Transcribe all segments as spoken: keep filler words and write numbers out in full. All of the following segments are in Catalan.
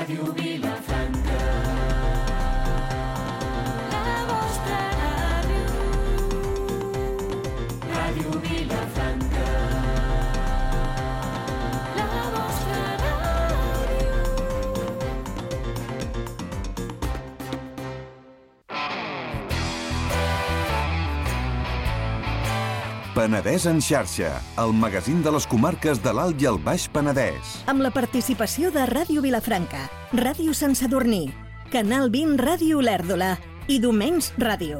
Ràdio Vilafranca, la vostra ràdio. Ràdio Vilafranca, la vostra ràdio. Penedès en xarxa, el magazín de les comarques de l'Alt i el Baix Penedès. Amb la participació de Ràdio Vilafranca, Ràdio Sant Sadurní, Canal vint Ràdio Olèrdola i Domenys Ràdio.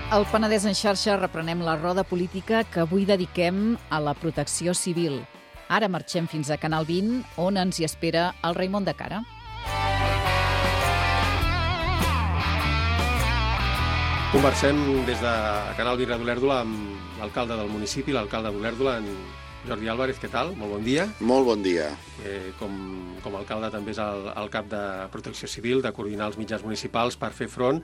Al Penedès en xarxa reprenem la roda política que avui dediquem a la protecció civil. Ara marxem fins a Canal vint, on ens hi espera el Raimon de Cara. Conversem des de Canal vint Ràdio Olèrdola amb l'alcalde del municipi, l'alcalde d'Olèrdola, en Jordi Álvarez. Què tal? Molt bon dia. Molt bon dia. Eh, com, com a alcalde també és el, el cap de Protecció Civil, de coordinar els mitjans municipals per fer front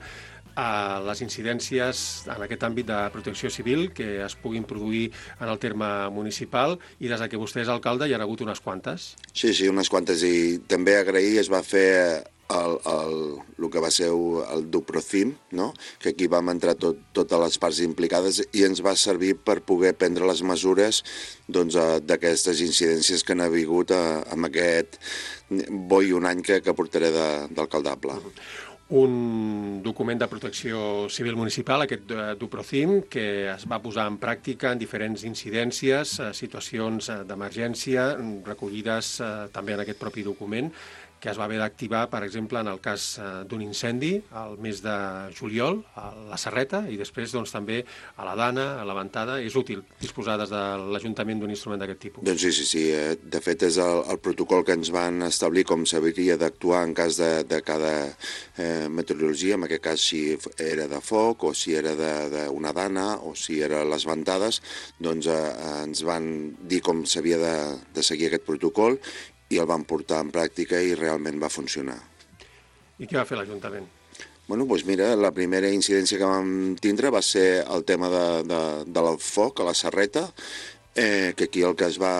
a les incidències en aquest àmbit de protecció civil que es puguin produir en el terme municipal, i des que vostè és alcalde hi ha hagut unes quantes. Sí, sí, unes quantes, i també agrair, es va fer el, el, el que va ser el Duprocim, no? Que aquí vam entrar tot, totes les parts implicades i ens va servir per poder prendre les mesures doncs, d'aquestes incidències que han hagut a, amb aquest bo i un any que, que portaré d'alcaldable. Uh-huh. Un document de protecció civil municipal, aquest Duprocim, que es va posar en pràctica en diferents incidències, situacions d'emergència, recollides també en aquest propi document, que es va haver d'activar, per exemple, en el cas d'un incendi al mes de juliol, a la Serreta, i després doncs, també a la Dana, a la Ventada. És útil disposar des de l'Ajuntament d'un instrument d'aquest tipus. Doncs sí, sí, sí. De fet, és el, el protocol que ens van establir com s'hauria d'actuar en cas de, de cada eh, meteorologia, en aquest cas si era de foc, o si era d'una dana, o si era les ventades, doncs eh, ens van dir com s'havia de, de seguir aquest protocol, i el vam portar en pràctica i realment va funcionar. I què va fer l'Ajuntament? Bueno, doncs mira, la primera incidència que vam tindre va ser el tema de, de, de la foc a la Serreta, eh, que aquí el que es va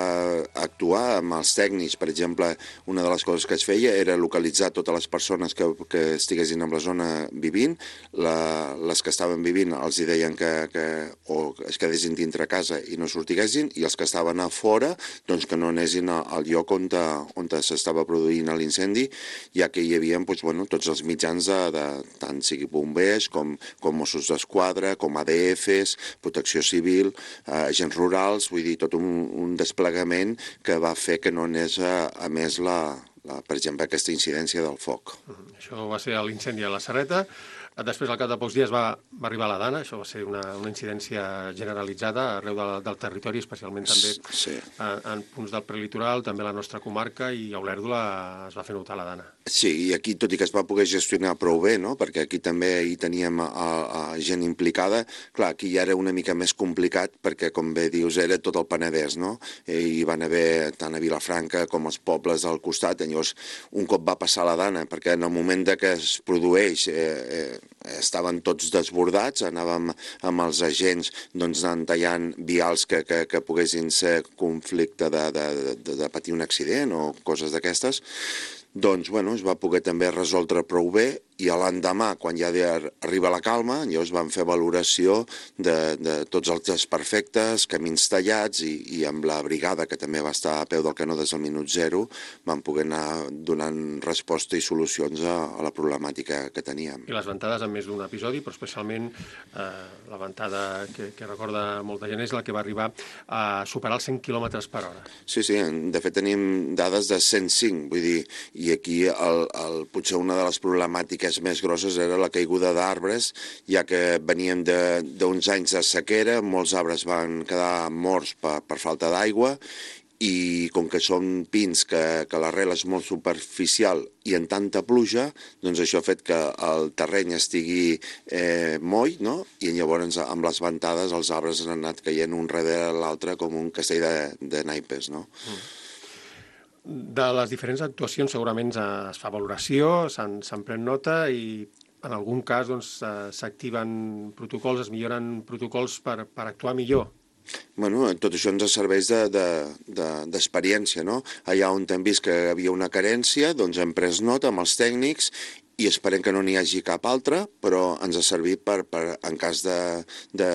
actuar amb els tècnics, per exemple, una de les coses que es feia era localitzar totes les persones que, que estiguessin en la zona vivint, la, les que estaven vivint els hi deien que, que o es quedessin dintre casa i no sortiguessin, i els que estaven a fora doncs que no anessin al lloc on, on s'estava produint l'incendi, ja que hi havia doncs, bueno, tots els mitjans de, de tant sigui bombers com, com Mossos d'Esquadra, com A D Fs, Protecció Civil, eh, agents rurals, vull dir, tot un, un desplegament que va fer que no anés a, a més, la, la, per exemple, aquesta incidència del foc. Uh-huh. Això va ser l'incendi a la Serreta. Després, al cap de pocs dies, va, va arribar la Dana. Això va ser una, una incidència generalitzada arreu del, del territori, especialment també sí. en, en punts del prelitoral, també a la nostra comarca, i a Olèrdola es va fer notar la Dana. Sí, i aquí, tot i que es va poder gestionar prou bé, no? Perquè aquí també hi teníem a, a gent implicada, clar, aquí ja era una mica més complicat, perquè, com bé dius, era tot el Penedès, no? I hi van haver tant a Vilafranca com els pobles al costat. Llavors, un cop va passar la Dana, perquè en el moment de que es produeix eh, eh, estaven tots desbordats, anàvem amb els agents doncs, anant tallant vials que, que, que poguessin ser conflicte de, de, de, de patir un accident o coses d'aquestes. Doncs, bueno, es va poder també resoldre prou bé, i l'endemà, quan ja arriba la calma, llavors vam fer valoració de, de tots els desperfectes, camins tallats, i, i amb la brigada, que també va estar a peu del canó des del minut zero, vam poder anar donant resposta i solucions a, a la problemàtica que teníem. I les ventades en més d'un episodi, però especialment eh, la ventada que, que recorda molta gent és la que va arribar a superar els cent quilòmetres per hora. Sí, sí, de fet tenim dades de cent cinc, vull dir, i aquí el, el, potser una de les problemàtiques més grosses era la caiguda d'arbres, ja que veníem d'uns anys de sequera, molts arbres van quedar morts per, per falta d'aigua, i com que són pins que, que l'arrel és molt superficial i en tanta pluja, doncs això ha fet que el terreny estigui eh, moll, no? I llavors amb les ventades els arbres han anat caient un darrere l'altre com un castell de, de naipes, no? Mm. De les diferents actuacions segurament es fa valoració, se'n pren nota, i en algun cas doncs, s'activen protocols, es milloren protocols per, per actuar millor Bueno, tot això ens serveix d'experiència, de, de, de, no? Allà on hem vist que hi havia una carència, doncs hem pres nota amb els tècnics i esperem que no n'hi hagi cap altra, però ens ha servit per, per en cas de, de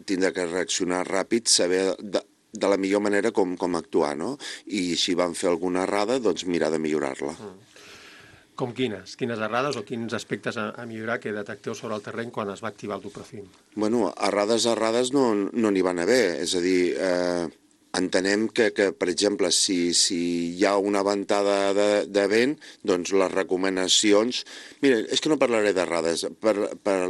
tindre que reaccionar ràpid, saber de, de la millor manera com, com actuar, no? I si vam fer alguna errada, doncs mirar de millorar-la. Mm. Com quines? Quines errades o quins aspectes a, a millorar que detecteu sobre el terreny quan es va activar el Duprocim? Bueno, errades, errades no no n'hi van haver. És a dir, eh, entenem que, que, per exemple, si, si hi ha una ventada de, de vent, doncs les recomanacions... Mira, és que no parlaré d'errades, par, par,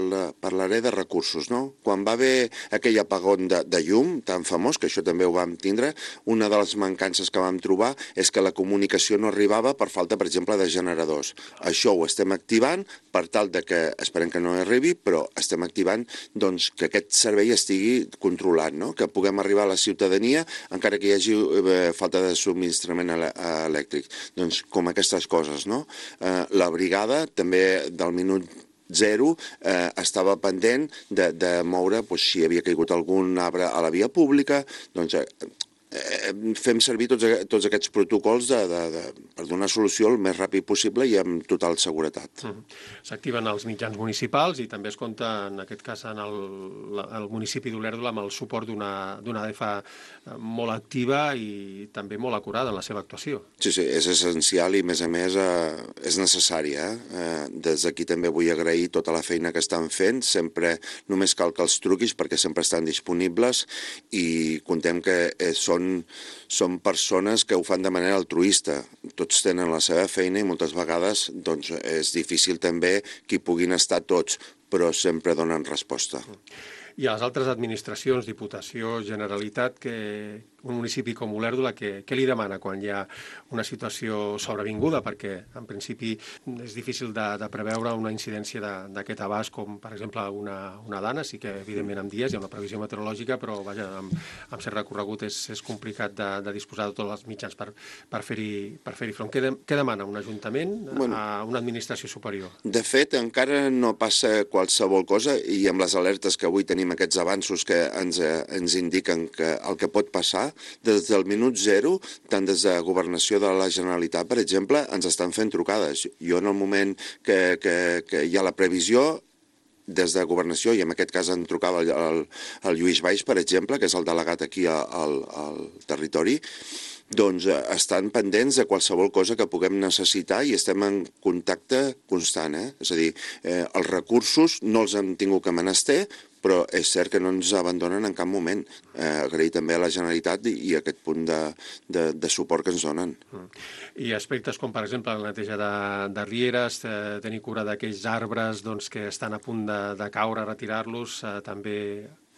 parlaré de recursos, no? Quan va haver aquell apagón de, de llum tan famós, que això també ho vam tindre, una de les mancances que vam trobar és que la comunicació no arribava per falta, per exemple, de generadors. Això ho estem activant per tal de que, esperem que no arribi, però estem activant doncs, que aquest servei estigui controlat, no? Que puguem arribar a la ciutadania encara que hi hagi eh, falta de subministrament elèctric. Doncs com aquestes coses, no? Eh, la brigada també del minut zero eh, estava pendent de, de moure, doncs, si havia caigut algun arbre a la via pública, doncs eh, eh, fem servir tots, tots aquests protocols de, de, de, per donar solució el més ràpid possible i amb total seguretat. Mm. S'activen els mitjans municipals i també es compta, en aquest cas, en el, el municipi d'Olèrdola amb el suport d'una A D F molt activa i també molt acurada en la seva actuació. Sí, sí, és essencial i, a més a més, eh, és necessària. Eh? Des d'aquí també vull agrair tota la feina que estan fent. Sempre només cal que els truquis perquè sempre estan disponibles i contem que eh, són, són persones que ho fan de manera altruista. Tots tenen la seva feina i moltes vegades doncs, és difícil també que hi puguin estar tots, però sempre donen resposta. I a les altres administracions, Diputació, Generalitat, que un municipi com Olèrdola, què, què li demana quan hi ha una situació sobrevinguda? Perquè, en principi, és difícil de, de preveure una incidència d'aquest abast, com, per exemple, una, una dana. Sí que, evidentment, en dies hi ha una previsió meteorològica, però, vaja, amb, amb cert recorregut és, és complicat de, de disposar de tots els mitjans per, per fer-hi per fer-hi front. Què, de, què demana un ajuntament bueno, a una administració superior? De fet, encara no passa qualsevol cosa i amb les alertes que avui tenim aquests avanços que ens, eh, ens indiquen que el que pot passar, des del minut zero, tant des de Governació de la Generalitat, per exemple, ens estan fent trucades. Jo, en el moment que, que, que hi ha la previsió, des de Governació, i en aquest cas em trucava el, el, el Lluís Baix, per exemple, que és el delegat aquí al, al territori, doncs estan pendents de qualsevol cosa que puguem necessitar i estem en contacte constant. Eh? És a dir, eh, els recursos no els hem tingut que menester, però és cert que no ens abandonen en cap moment. Eh, agrair també a la Generalitat i, i aquest punt de, de, de suport que ens donen. Mm. I aspectes com, per exemple, la neteja de, de rieres, eh, tenir cura d'aquells arbres doncs, que estan a punt de, de caure, retirar-los, eh, també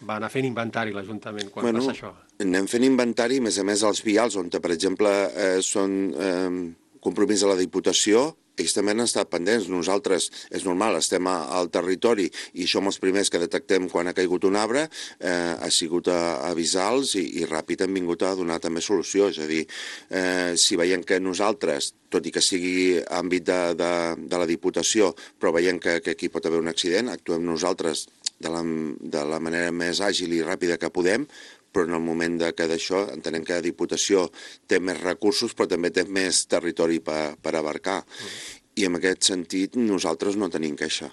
va anar fent inventari l'Ajuntament quan bueno, passa això? Anem fent inventari, a més a més, als vials, on, per exemple, eh, són eh, compromís de la Diputació, ells també han estat pendents. Nosaltres, és normal, estem a, al territori i som els primers que detectem quan ha caigut un arbre, eh, ha sigut a, a avisar-los i, i ràpid han vingut a donar també solució. És a dir, eh, si veiem que nosaltres, tot i que sigui àmbit de, de, de la Diputació, però veiem que, que aquí pot haver un accident, actuem nosaltres de la, de la manera més àgil i ràpida que podem, però en el moment de que d'això entenem que la Diputació té més recursos però també té més territori per, per abarcar. Mm. I en aquest sentit nosaltres no tenim queixa.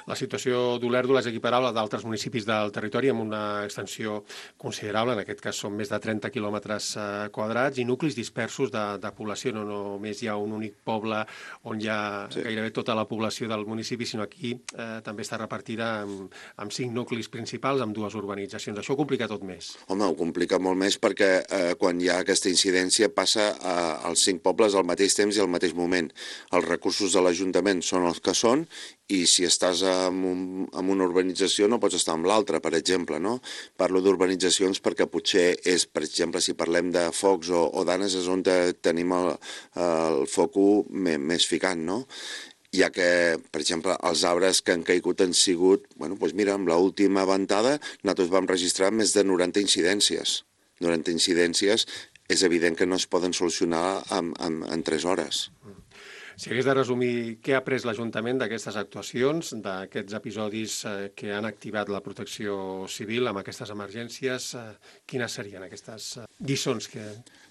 La situació d'Olèrdola és equiparable a d'altres municipis del territori amb una extensió considerable, en aquest cas són més de trenta quilòmetres eh, quadrats i nuclis dispersos de, de població. No només hi ha un únic poble on hi ha sí. gairebé tota la població del municipi, sinó aquí eh, també està repartida amb, amb cinc nuclis principals, amb dues urbanitzacions. Això ho complica tot més. Home, ho complica molt més perquè eh, quan hi ha aquesta incidència passa eh, als cinc pobles al mateix temps i al mateix moment. Els recursos de l'Ajuntament són els que són i si estàs en, un, en una urbanització no pots estar amb l'altra, per exemple, no? Parlo d'urbanitzacions perquè potser és, per exemple, si parlem de focs o, o danes, és on tenim el, el foco més, més ficant, no? Ja que, per exemple, els arbres que han caigut han sigut, bueno, doncs mira, amb l'última ventada nosaltres vam registrar més de noranta incidències. noranta incidències és evident que no es poden solucionar en, en, en tres hores. Si hagués de resumir què ha après l'Ajuntament d'aquestes actuacions, d'aquests episodis eh, que han activat la protecció civil amb aquestes emergències, eh, quines serien aquestes eh, lliçons que,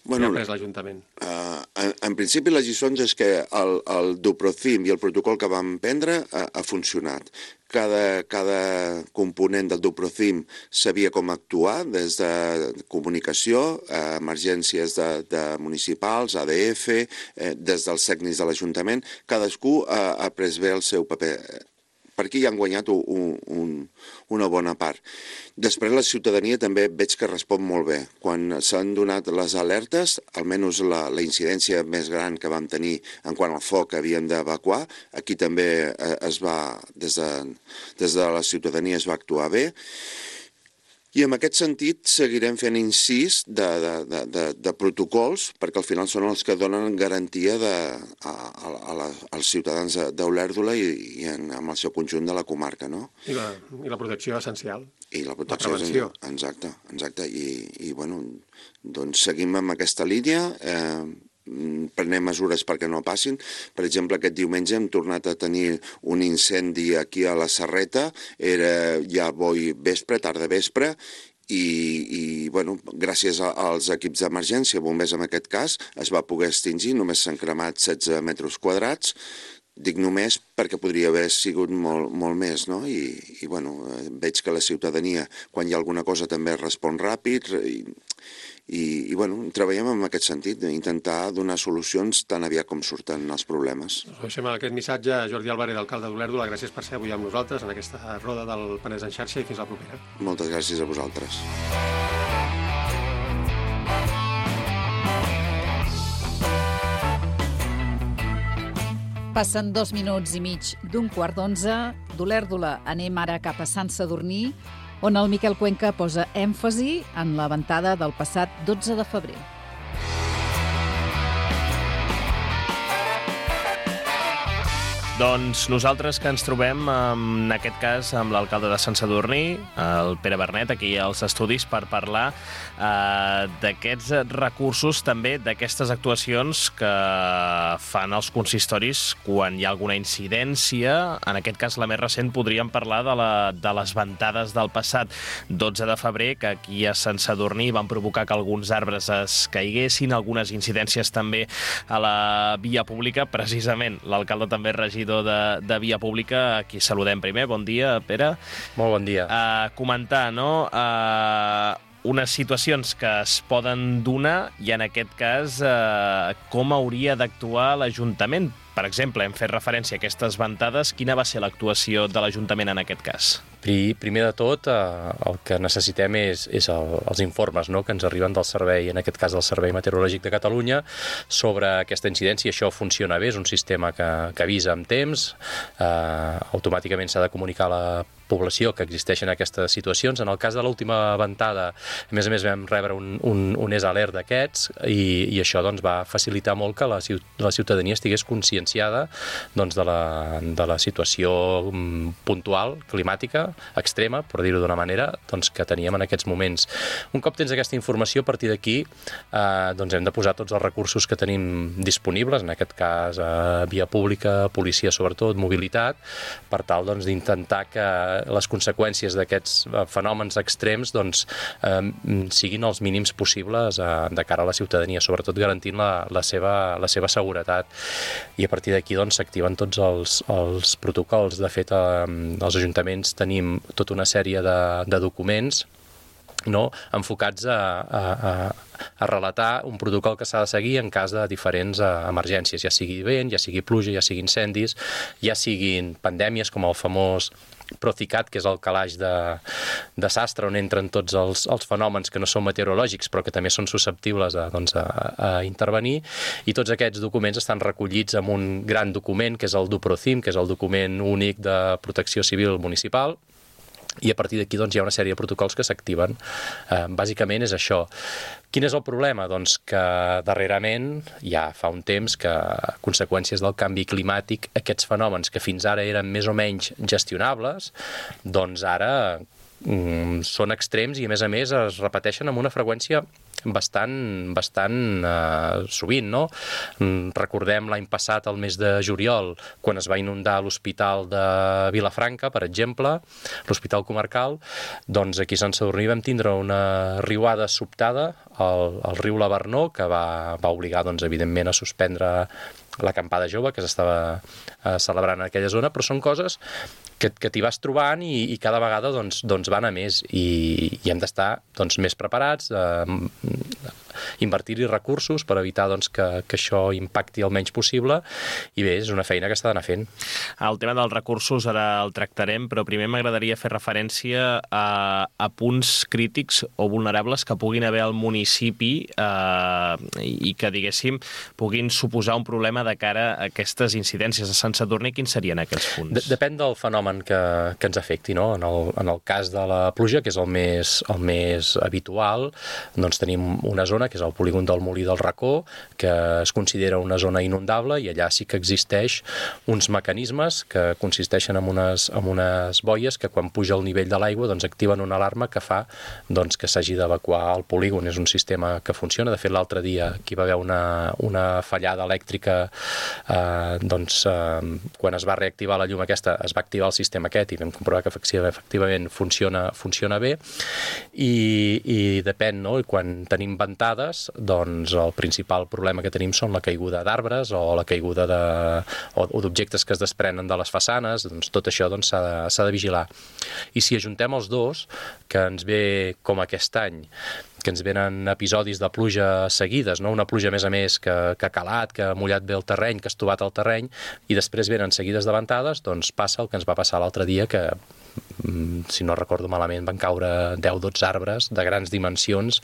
bueno, que ha après l'Ajuntament? Uh, en, en principi, les lliçons és que el, el Duprocim i el protocol que vam prendre ha, ha funcionat. Cada, cada component del Duprocim sabia com actuar, des de comunicació, eh, emergències de, de municipals, A D F, eh, des dels tècnics de l'Ajuntament. Cadascú ha, ha pres bé el seu paper. Per aquí ja han guanyat un, un, una bona part. Després la ciutadania també veig que respon molt bé. Quan s'han donat les alertes, almenys la, la incidència més gran que vam tenir en quant al foc que havíem d'evacuar, aquí també es va, des de, des de la ciutadania es va actuar bé. I en aquest sentit seguirem fent incís de, de, de, de, de protocols, perquè al final són els que donen garantia de, a, a, a la, als ciutadans d'Olèrdola i, i en, amb el seu conjunt de la comarca, no? I la, i la protecció essencial. I la protecció la prevenció. És, exacte, exacte. I, i bueno, doncs seguim amb aquesta línia, eh, prenem mesures perquè no passin. Per exemple, aquest diumenge hem tornat a tenir un incendi aquí a la Serreta, era ja boi vespre, tarda vespre, i, i bueno, gràcies a, als equips d'emergència, bombers en aquest cas, es va poder extingir, només s'han cremat setze metres quadrats. Dic només perquè podria haver sigut molt, molt més, no? I, i bueno, veig que la ciutadania, quan hi ha alguna cosa, també respon ràpid, i, i, i bueno, treballem en aquest sentit, d'intentar donar solucions tan aviat com surten els problemes. Us deixem aquest missatge a Jordi Álvarez, alcalde d'Olèrdola. Gràcies per ser avui amb nosaltres en aquesta roda del Penedès en xarxa i fins la propera. Moltes gràcies a vosaltres. Passen dos minuts i mig d'un quart d'onze. D'Olèrdola anem ara cap a Sant Sadurní, on el Miquel Cuenca posa èmfasi en la ventada del passat dotze de febrer. Doncs nosaltres que ens trobem, en aquest cas, amb l'alcalde de Sant Sadurní, el Pere Bernet, aquí als estudis per parlar eh, d'aquests recursos, també d'aquestes actuacions que fan els consistoris quan hi ha alguna incidència. En aquest cas, la més recent, podríem parlar de, la, de les ventades del passat dotze de febrer, que aquí a Sant Sadurní van provocar que alguns arbres es caiguessin, algunes incidències també a la via pública. Precisament, l'alcalde també regidor De, de Via Pública, aquí saludem primer. Bon dia, Pere. Molt bon dia. Uh, comentar, no?, uh, unes situacions que es poden donar i, en aquest cas, uh, com hauria d'actuar l'Ajuntament. Per exemple, hem fet referència a aquestes ventades. Quina va ser l'actuació de l'Ajuntament en aquest cas? Primer de tot, eh, el que necessitem és, és el, els informes, no?, que ens arriben del servei, en aquest cas del Servei Meteorològic de Catalunya, sobre aquesta incidència. Això funciona bé, és un sistema que, que avisa amb temps, eh, automàticament s'ha de comunicar a la població que existeixen aquestes situacions. En el cas de l'última ventada, a més a més vam rebre un, un, un és alert d'aquests i, i això doncs, va facilitar molt que la, la ciutadania estigués conscienciada doncs, de, la, de la situació puntual, climàtica, extrema, per dir-ho d'una manera, doncs, que teníem en aquests moments. Un cop tens aquesta informació, a partir d'aquí eh, doncs hem de posar tots els recursos que tenim disponibles, en aquest cas eh, via pública, policia sobretot, mobilitat, per tal doncs, d'intentar que les conseqüències d'aquests fenòmens extrems doncs, eh, siguin els mínims possibles eh, de cara a la ciutadania, sobretot garantint la, la, seva, la seva seguretat. I a partir d'aquí doncs, s'activen tots els, els protocols. De fet, eh, els ajuntaments tenim tota una sèrie de, de documents, no?, enfocats a, a, a, a relatar un protocol que s'ha de seguir en cas de diferents uh, emergències, ja sigui vent, ja sigui pluja, ja sigui incendis, ja siguin pandèmies com el famós Procicat, que és el calaix de, de sastre on entren tots els, els fenòmens que no són meteorològics però que també són susceptibles a, doncs, a, a intervenir, i tots aquests documents estan recollits en un gran document que és el Duprocim, que és el document únic de protecció civil municipal. I a partir d'aquí doncs, hi ha una sèrie de protocols que s'activen. Eh, bàsicament és això. Quin és el problema? Doncs que darrerament, ja fa un temps, que a conseqüències del canvi climàtic, aquests fenòmens que fins ara eren més o menys gestionables, doncs ara mm, són extrems i a més a més es repeteixen amb una freqüència bastant, bastant eh, sovint, no? Recordem l'any passat, el mes de juliol, quan es va inundar l'Hospital de Vilafranca, per exemple, l'Hospital Comarcal, doncs aquí a Sant Sadurní vam tindre una riuada sobtada al, al riu Lavernó, que va, va obligar, doncs, evidentment, a suspendre l'acampada jove que s'estava eh, celebrant en aquella zona, però són coses que, que t'hi vas trobant i, i cada vegada doncs, doncs van a més i, i hem d'estar doncs, més preparats, eh, invertir-hi recursos per evitar doncs, que, que això impacti el menys possible i bé, és una feina que s'ha d'anar fent. El tema dels recursos ara el tractarem, però primer m'agradaria fer referència a, a punts crítics o vulnerables que puguin haver al municipi eh, i que, diguéssim, puguin suposar un problema de cara a aquestes incidències de Sant Sadurní. Quins serien aquests punts? Depèn del fenomen que, que ens afecti, no? En el, en el cas de la pluja, que és el més, el més habitual, doncs tenim una zona que és el polígon del Molí del Racó, que es considera una zona inundable i allà sí que existeix uns mecanismes que consisteixen en unes, en unes boies que quan puja el nivell de l'aigua doncs activen una alarma que fa doncs, que s'hagi d'evacuar el polígon. És un sistema que funciona. De fet, l'altre dia aquí va haver una, una fallada elèctrica eh, doncs, eh, quan es va reactivar la llum aquesta es va activar el sistema aquest i vam comprovar que efectivament funciona, funciona bé i, i depèn, no? I quan tenim ventades, doncs el principal problema que tenim són la caiguda d'arbres o la caiguda de, o, o d'objectes que es desprenen de les façanes, doncs tot això doncs, s'ha de, s'ha de vigilar. I si ajuntem els dos, que ens ve com aquest any, que ens venen episodis de pluja seguides, no? Una pluja, a més a més, que, que ha calat, que ha mullat bé el terreny, que ha estovat el terreny, i després venen seguides de ventades, doncs passa el que ens va passar l'altre dia, que, si no recordo malament, van caure deu o dotze arbres de grans dimensions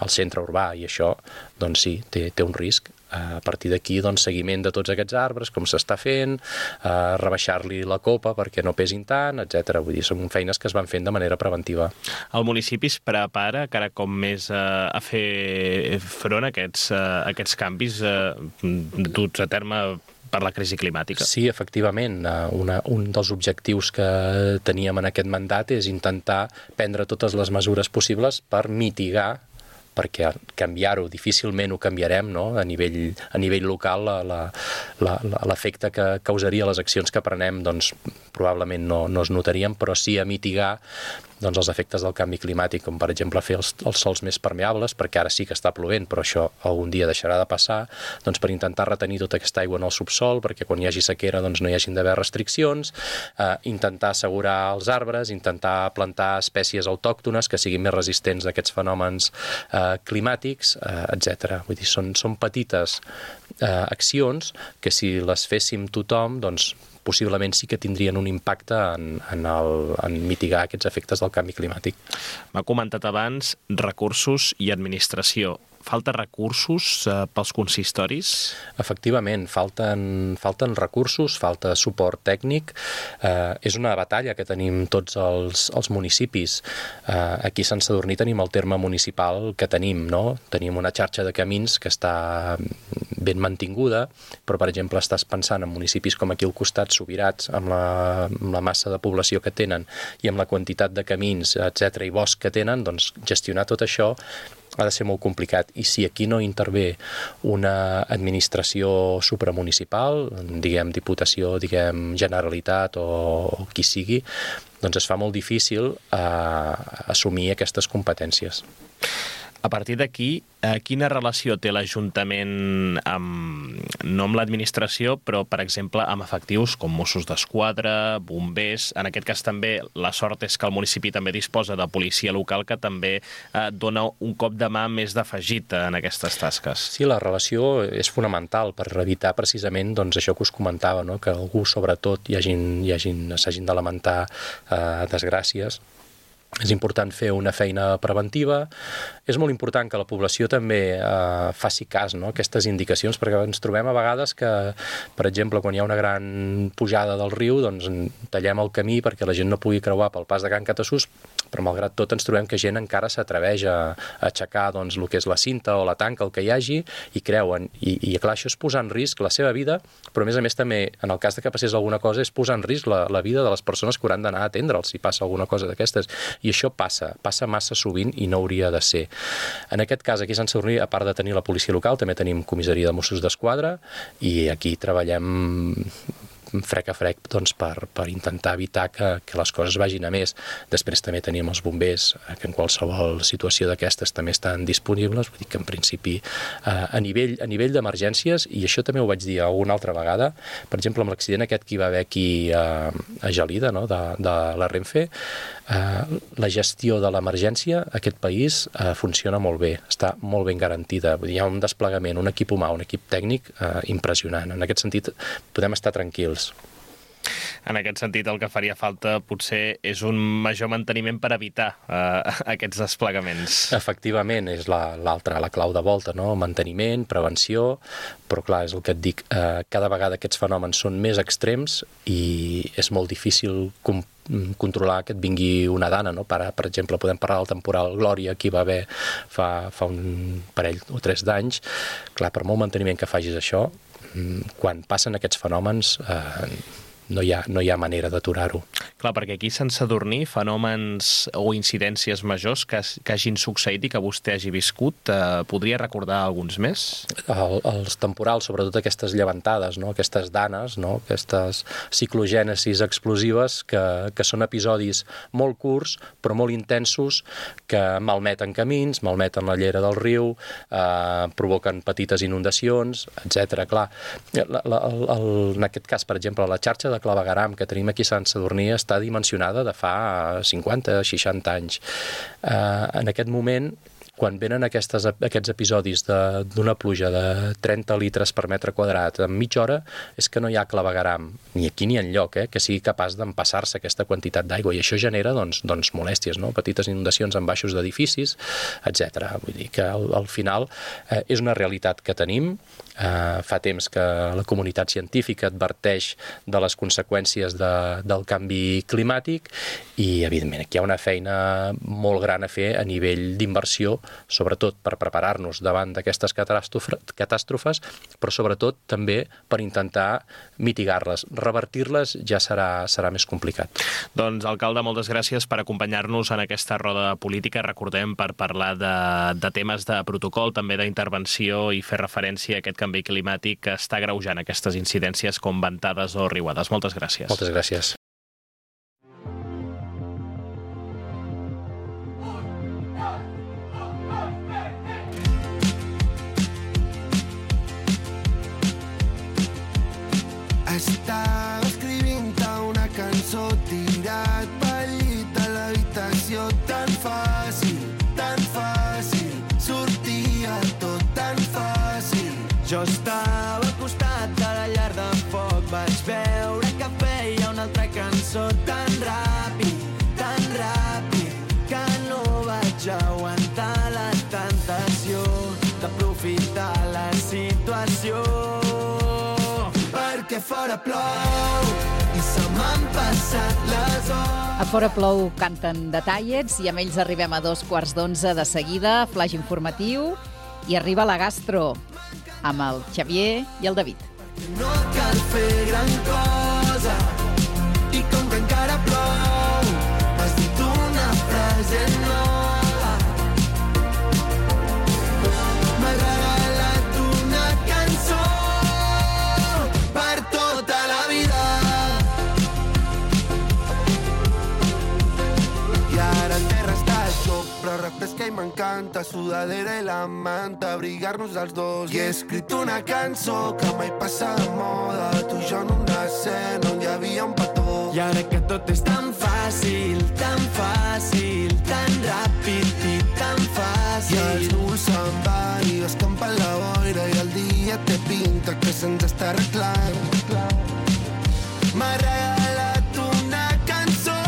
al centre urbà, i això, doncs sí, té, té un risc. A partir d'aquí, doncs, seguiment de tots aquests arbres, com s'està fent, eh, rebaixar-li la copa perquè no pesin tant, etcètera. Vull dir, són feines que es van fent de manera preventiva. El municipi es prepara cada cop més eh, a fer front a aquests, eh, aquests canvis eh, duts a terme per la crisi climàtica. Sí, efectivament. Una, un dels objectius que teníem en aquest mandat és intentar prendre totes les mesures possibles per mitigar, perquè canviar-ho difícilment ho canviarem, no? A nivell, a nivell local la, la, la, l'efecte que causaria les accions que prenem doncs, probablement no, no es notarien, però sí a mitigar doncs, els efectes del canvi climàtic, com per exemple fer els, els sols més permeables, perquè ara sí que està plovent, però això algun dia deixarà de passar, doncs per intentar retenir tota aquesta aigua en el subsol, perquè quan hi hagi sequera doncs, no hi hagin d'haver restriccions, eh, intentar assegurar els arbres, intentar plantar espècies autòctones que siguin més resistents a aquests fenòmens eh, climàtics, eh, etcètera. Vull dir, són, són petites eh, accions que si les féssim tothom, doncs possiblement sí que tindrien un impacte en, en, el, en mitigar aquests efectes del canvi climàtic. M'ha comentat abans recursos i administració. Falta recursos eh, pels consistoris? Efectivament, falten, falten recursos, falta suport tècnic. Eh, és una batalla que tenim tots els, els municipis. Eh, aquí a Sant Sadurní tenim el terme municipal que tenim, no? Tenim una xarxa de camins que està ben mantinguda, però, per exemple, estàs pensant en municipis com aquí al costat, Subirats, amb la, amb la massa de població que tenen i amb la quantitat de camins, etcètera, i bosc que tenen, doncs gestionar tot això ha de ser molt complicat. I si aquí no intervé una administració supramunicipal, diguem Diputació, diguem Generalitat o, o qui sigui, doncs es fa molt difícil eh, assumir aquestes competències. A partir d'aquí, eh, quina relació té l'Ajuntament amb, no amb l'administració, però, per exemple, amb efectius com Mossos d'Esquadra, bombers? En aquest cas també la sort és que el municipi també disposa de policia local que també eh, dona un cop de mà més d'afegit en aquestes tasques. Sí, la relació és fonamental per evitar precisament doncs, això que us comentava, no? Que algú, sobretot, hi hagin, hi hagin, s'hagin de lamentar eh, desgràcies. És important fer una feina preventiva. És molt important que la població també eh, faci cas, no? Aquestes indicacions, perquè ens trobem a vegades que, per exemple, quan hi ha una gran pujada del riu, doncs tallem el camí perquè la gent no pugui creuar pel pas de Can Catassús, però malgrat tot ens trobem que gent encara s'atreveix a, a aixecar doncs, el que és la cinta o la tanca, el que hi hagi, i creuen. I, i clar, això és posar en risc la seva vida, però a més a més també, en el cas de que passés alguna cosa, és posar en risc la, la vida de les persones que hauran d'anar a atendre'ls si passa alguna cosa d'aquestes. I això passa, passa massa sovint i no hauria de ser. En aquest cas, aquí a Sant Sadurní, a part de tenir la policia local, també tenim comissaria de Mossos d'Esquadra i aquí treballem frec a frec doncs, per, per intentar evitar que, que les coses vagin a més. Després també tenim els bombers, que en qualsevol situació d'aquestes també estan disponibles, vull dir que en principi eh, a nivell, a nivell d'emergències, i això també ho vaig dir alguna altra vegada, per exemple amb l'accident aquest que hi va haver aquí a, a Gelida, no? de, de la Renfe, eh, la gestió de l'emergència a aquest país eh, funciona molt bé, està molt ben garantida. Vull dir, hi ha un desplegament, un equip humà, un equip tècnic eh, impressionant. En aquest sentit podem estar tranquils. En aquest sentit, el que faria falta potser és un major manteniment per evitar eh, aquests desplegaments. Efectivament, és l'altra, la, la clau de volta, no? Manteniment, prevenció, però clar, és el que et dic, eh, cada vegada aquests fenòmens són més extrems i és molt difícil com controlar que et vingui una dana, no? Per, per exemple, podem parlar del temporal Glòria, que hi va haver fa, fa un parell o tres d'anys. Clar, per molt manteniment que facis això, quan passen aquests fenòmens eh, no hi ha, no hi ha manera d'aturar-ho. Clar, perquè aquí a Sant Sadurní fenòmens o incidències majors que, que hagin succeït i que vostè hagi viscut, eh, podria recordar alguns més? El, els temporals, sobretot aquestes llevantades, no? Aquestes danes, no? Aquestes ciclogènesis explosives que, que són episodis molt curts però molt intensos que malmeten camins, malmeten la llera del riu, eh, provoquen petites inundacions, etcètera. Clar, la, la, el, el, en aquest cas, per exemple, la xarxa de de clavegueram que tenim aquí a Sant Sadurní està dimensionada de fa cinquanta seixanta anys. Eh, en aquest moment, quan venen aquestes, aquests episodis d'una pluja de trenta litres per metre quadrat en mitja hora, és que no hi ha clavegueram, ni aquí ni enlloc, eh, que sigui capaç d'empassar-se aquesta quantitat d'aigua, i això genera doncs, doncs, molèsties, no? Petites inundacions en baixos d'edificis, etcètera. Vull dir que al, al final eh, és una realitat que tenim. Uh, fa temps que la comunitat científica adverteix de les conseqüències de, del canvi climàtic i, evidentment, aquí hi ha una feina molt gran a fer a nivell d'inversió, sobretot per preparar-nos davant d'aquestes catàstrofes, però sobretot també per intentar mitigar-les. Revertir-les ja serà, serà més complicat. Doncs, alcalde, moltes gràcies per acompanyar-nos en aquesta roda política. Recordem, per parlar de, de temes de protocol, també d'intervenció i fer referència a aquest canvi climàtic que està agreujant aquestes incidències com ventades o riuades. Moltes gràcies. Moltes gràcies. Estava escrivint-te una cançó tirat pel llit a l'habitació, tan fàcil, tan fàcil, sortia tot tan fàcil. Jo estava al costat de la llar de foc, vaig veure que feia una altra cançó tan ràpid, tan ràpid, que no vaig aguantar la tentació d'aprofitar la situació. Perquè fora plou i se m'han passat les hores. A Fora Plou canten The Tallets i amb ells arribem a dos quarts d'onze de seguida, flaix informatiu, i arriba la gastro amb el Xavier i el David. No cal fer gran cosa i com que encara plou has dit una frase nova. M'ha regalat una cançó per tota la vida i ara el terra està xop, però refresca i m'encanta, sudadera i la manta, abrigar-nos els dos. I he escrit una cançó que mai passa de moda, tu i jo en una escena on hi havia un petó. I ara que tot és tan fàcil, tan fàcil, tan ràpid i tan fàcil. I els núvols se'n van i escampa la boira i el dia té pinta que se'ns està arreglant. M'ha regalat una cançó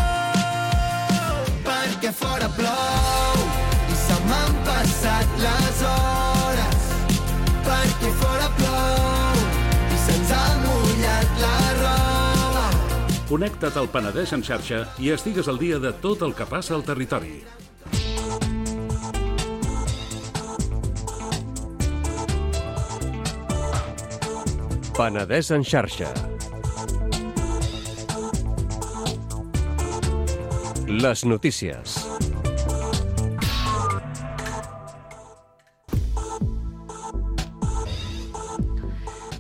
perquè fora plou i se m'han passat les hores, perquè fora plou i se'ns ha mullat la roba. Connecta't al Penedès en xarxa i estigues al dia de tot el que passa al territori. Penedès en xarxa. Les notícies.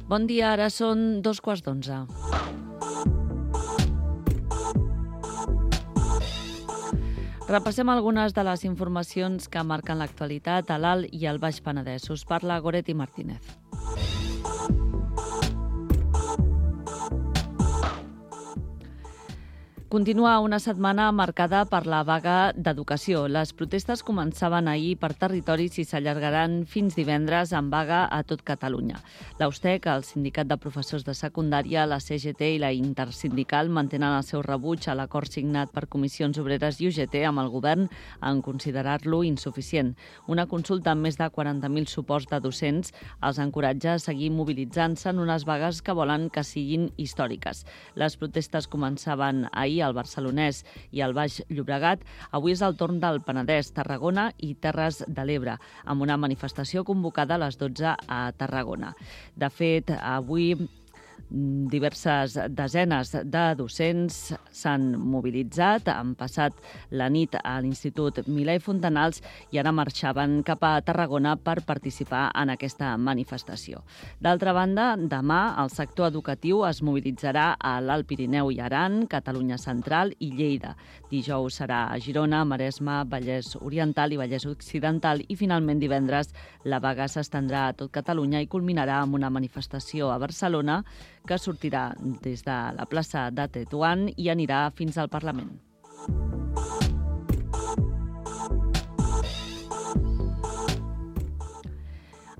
Bon dia, ara són dos quarts d'onze. Repassem algunes de les informacions que marquen l'actualitat a l'Alt i al Baix Penedès. Us parla Goretti Martínez. Continua una setmana marcada per la vaga d'educació. Les protestes començaven ahir per territoris i s'allargaran fins divendres amb vaga a tot Catalunya. L'Austec, el Sindicat de Professors de Secundària, la C G T i la Intersindical mantenen el seu rebuig a l'acord signat per Comissions Obreres i U G T amb el govern en considerar-lo insuficient. Una consulta amb més de quaranta mil suports de docents els encoratja a seguir mobilitzant-se en unes vagues que volen que siguin històriques. Les protestes començaven ahir al Barcelonès i al Baix Llobregat. Avui és el torn del Penedès, Tarragona i Terres de l'Ebre, amb una manifestació convocada a les dotze a Tarragona. De fet, avui diverses desenes de docents s'han mobilitzat, han passat la nit a l'Institut Milà i Fontanals i ara marxaven cap a Tarragona per participar en aquesta manifestació. D'altra banda, demà el sector educatiu es mobilitzarà a l'Alt Pirineu i Aran, Catalunya Central i Lleida. Dijous serà a Girona, Maresme, Vallès Oriental i Vallès Occidental i finalment divendres la vaga s'estendrà a tot Catalunya i culminarà amb una manifestació a Barcelona que sortirà des de la plaça de Tetuan i anirà fins al Parlament.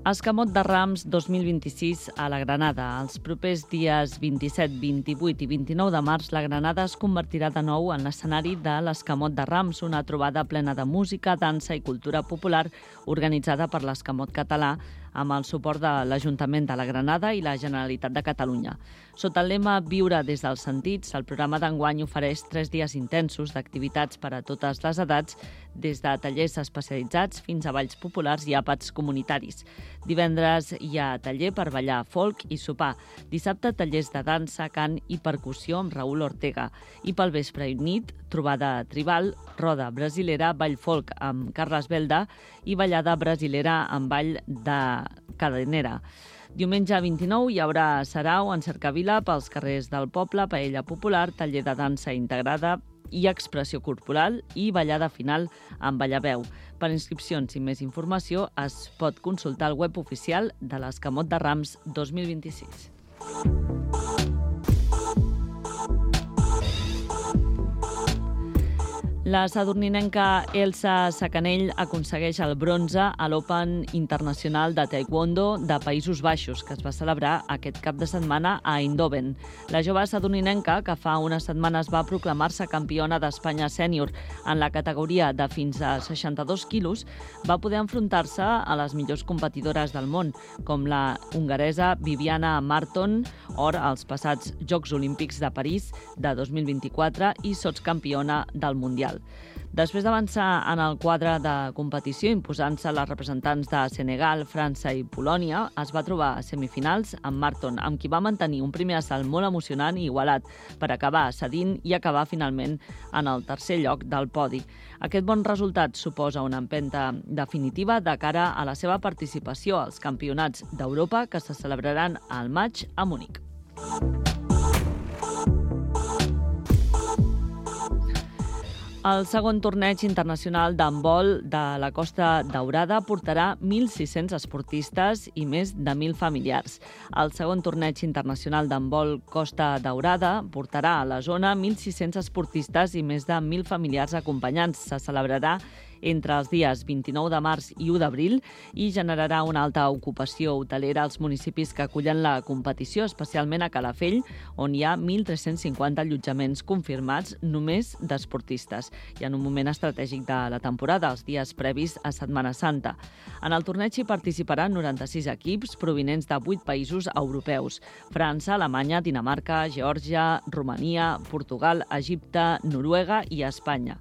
Escamot de Rams dos mil vint-i-sis a la Granada. Els propers dies vint-i-set, vint-i-vuit i vint-i-nou de març, la Granada es convertirà de nou en l'escenari de l'Escamot de Rams, una trobada plena de música, dansa i cultura popular organitzada per l'Escamot Català amb el suport de l'Ajuntament de la Granada i la Generalitat de Catalunya. Sota el lema Viure des dels sentits, el programa d'enguany ofereix tres dies intensos d'activitats per a totes les edats, des de tallers especialitzats fins a balls populars i àpats comunitaris. Divendres hi ha taller per ballar folk i sopar. Dissabte, tallers de dansa, cant i percussió amb Raül Ortega. I pel vespre i nit, trobada tribal, roda brasilera, ball folk amb Carles Belda i ballada brasilera amb ball de cadenera. Diumenge vint-i-nou hi haurà sarau en cercavila pels carrers del poble, paella popular, taller de dansa integrada i expressió corporal i ballada final amb ballaveu. Per inscripcions i més informació es pot consultar el web oficial de l'Escamot de Rams dos mil vint-i-sis. La sadurninenca Elsa Sacanell aconsegueix el bronze a l'Open Internacional de Taekwondo de Països Baixos, que es va celebrar aquest cap de setmana a Eindhoven. La jove sadurninenca, que fa unes setmanes va proclamar-se campiona d'Espanya sènior en la categoria de fins a seixanta-dos quilos, va poder enfrontar-se a les millors competidores del món, com la hongaresa Viviana Marton, or als passats Jocs Olímpics de París de dos mil vint-i-quatre i sotscampiona del Mundial. Després d'avançar en el quadre de competició, imposant-se les representants de Senegal, França i Polònia, es va trobar a semifinals amb Marton, amb qui va mantenir un primer assalt molt emocionant i igualat, per acabar cedint i acabar finalment en el tercer lloc del podi. Aquest bon resultat suposa una empenta definitiva de cara a la seva participació als Campionats d'Europa que se celebraran al maig a Munic. El segon torneig internacional d'handbol de la Costa Daurada portarà mil sis-cents esportistes i més de mil familiars. El segon torneig internacional d'handbol Costa Daurada portarà a la zona mil sis-cents esportistes i més de mil familiars acompanyants. Se celebrarà entre els dies vint-i-nou de març i u d'abril i generarà una alta ocupació hotelera als municipis que acullen la competició, especialment a Calafell, on hi ha mil tres-cents cinquanta allotjaments confirmats només d'esportistes i en un moment estratègic de la temporada, els dies previs a Setmana Santa. En el torneig hi participaran noranta-sis equips provinents de vuit països europeus: França, Alemanya, Dinamarca, Geòrgia, Romania, Portugal, Egipte, Noruega i Espanya.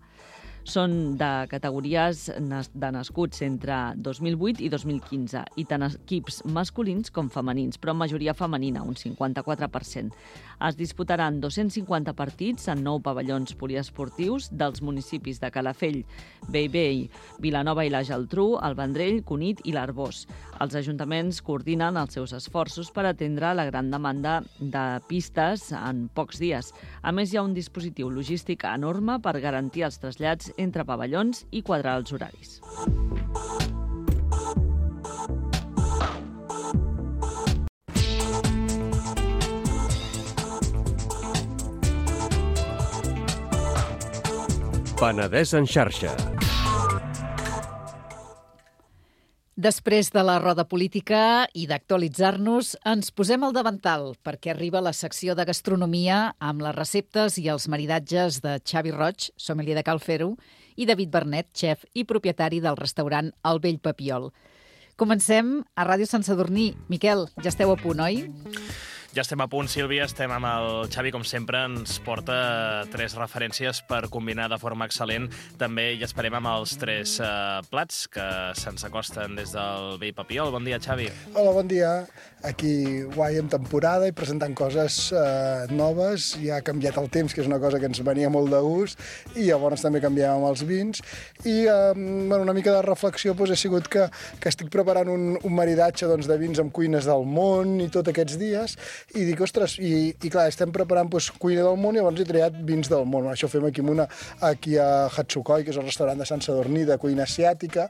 Són de categories de nascuts entre dos mil vuit i dos mil quinze i tant equips masculins com femenins, però en majoria femenina, un cinquanta-quatre per cent. Es disputaran dos-cents cinquanta partits en nou pavellons poliesportius dels municipis de Calafell, Bellvei, Vilanova i la Geltrú, el Vendrell, Cunit i l'Arboç. Els ajuntaments coordinen els seus esforços per atendre la gran demanda de pistes en pocs dies. A més, hi ha un dispositiu logístic enorme per garantir els trasllats entre pavellons i quadrar els horaris. Penedès en xarxa. Després de la roda política i d'actualitzar-nos, ens posem al davantal perquè arriba la secció de gastronomia amb les receptes i els maridatges de Xavi Roig, sommelier de Cal Fer-ho, i David Bernet, xef i propietari del restaurant El Vell Papiol. Comencem a Ràdio Sant Sadurní. Miquel, ja esteu a punt, oi? Ja estem a punt, Sílvia, estem amb el Xavi, com sempre, ens porta tres referències per combinar de forma excel·lent. També hi esperem amb els tres eh, plats que se'ns acosten des del Vell Papiol. Bon dia, Xavi. Hola, bon dia. Aquí guai en temporada i presentant coses eh, noves. Ja ha canviat el temps, que és una cosa que ens venia molt de gust, i llavors també canviem amb els vins. I eh, bueno, una mica de reflexió doncs, ha sigut que, que estic preparant un, un maridatge doncs, de vins amb cuines del món i tots aquests dies, i dic, ostres, i, i clar, estem preparant doncs, cuina del món i llavors he triat vins del món. Això ho fem aquí, una, aquí a Hatsukoi, que és el restaurant de Sant Sadurní de cuina asiàtica,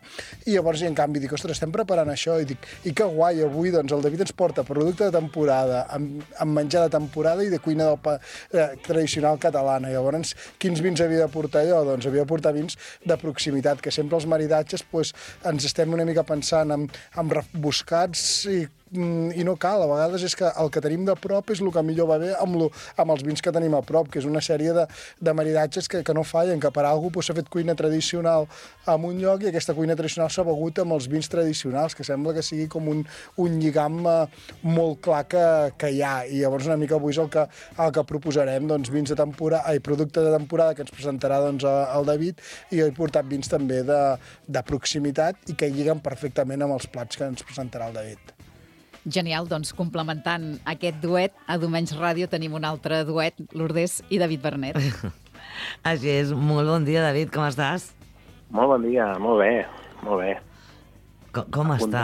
i llavors, i en canvi, dic, ostres, estem preparant això, i dic, i que guai, avui doncs, el David ens porta producte de temporada, amb, amb menjar de temporada i de cuina del pa, eh, tradicional catalana. Llavors, quins vins havia de portar jo? Doncs havia de portar vins de proximitat, que sempre els maridatges doncs, ens estem una mica pensant en, en rebuscats i i no cal, a vegades és que el que tenim de prop és el que millor va bé amb, lo, amb els vins que tenim a prop, que és una sèrie de, de maridatges que, que no fallen, que per algú s'ha fet cuina tradicional en un lloc i aquesta cuina tradicional s'ha begut amb els vins tradicionals, que sembla que sigui com un, un lligam eh, molt clar que, que hi ha, i llavors una mica avui és el que, el que proposarem, doncs vins de temporada, ai, producte de temporada que ens presentarà doncs, el David, i he portat vins també de, de proximitat i que lliguen perfectament amb els plats que ens presentarà el David. Genial, doncs complementant aquest duet, a Domenys Ràdio tenim un altre duet, Lourdes i David Bernet. Així és, molt bon dia, David, com estàs? Molt bon dia, molt bé, molt bé. Com, com està...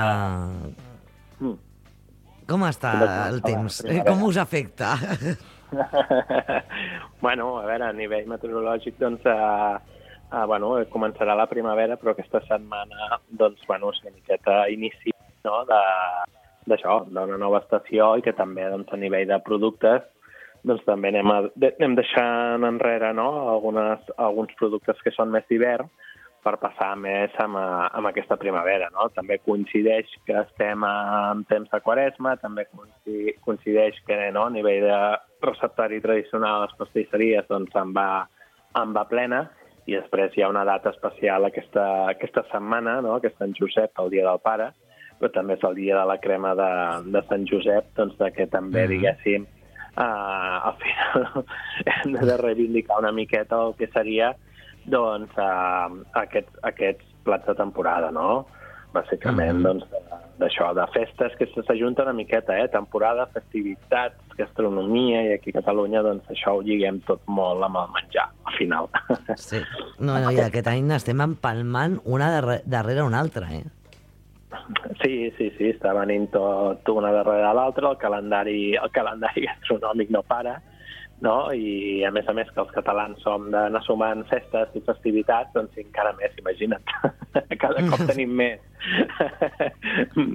Mm. Com està el temps? Com us afecta? Bueno, a veure, a nivell meteorològic, doncs, eh, eh, bueno, començarà la primavera, però aquesta setmana, doncs, bueno, és una miqueta inici, no?, de... d'això, d'una nova estació i que també doncs, a nivell de productes doncs, també anem, a, anem deixant enrere no? Algunes, alguns productes que són més d'hivern per passar més amb, amb aquesta primavera. No? També coincideix que estem en temps de Quaresma, també coincideix que no? A nivell de receptari tradicional a les pastisseries doncs, en, va, en va plena, i després hi ha una data especial aquesta, aquesta setmana, no? Que és Sant Josep, el Dia del Pare, però també és el dia de la crema de, de Sant Josep, doncs que també, diguéssim, eh, al final hem de reivindicar una miqueta el que seria doncs, eh, aquests, aquests plats de temporada, no? Bàsicament, mm-hmm. doncs, d'això, de festes que s'ajunten una miqueta, eh? Temporada, festivitats, gastronomia, i aquí a Catalunya, doncs, això ho lliguem tot molt amb el menjar, al final. Sí, no, no, i aquest any estem empalmant una darrere, darrere una altra, eh? Sí, sí, sí, està venint tot una darrere l'altra, el calendari, el calendari gastronòmic no para, no? I a més a més que els catalans som d'anar sumant festes i festivitats, doncs encara més, imagina't. Cada cop tenim més,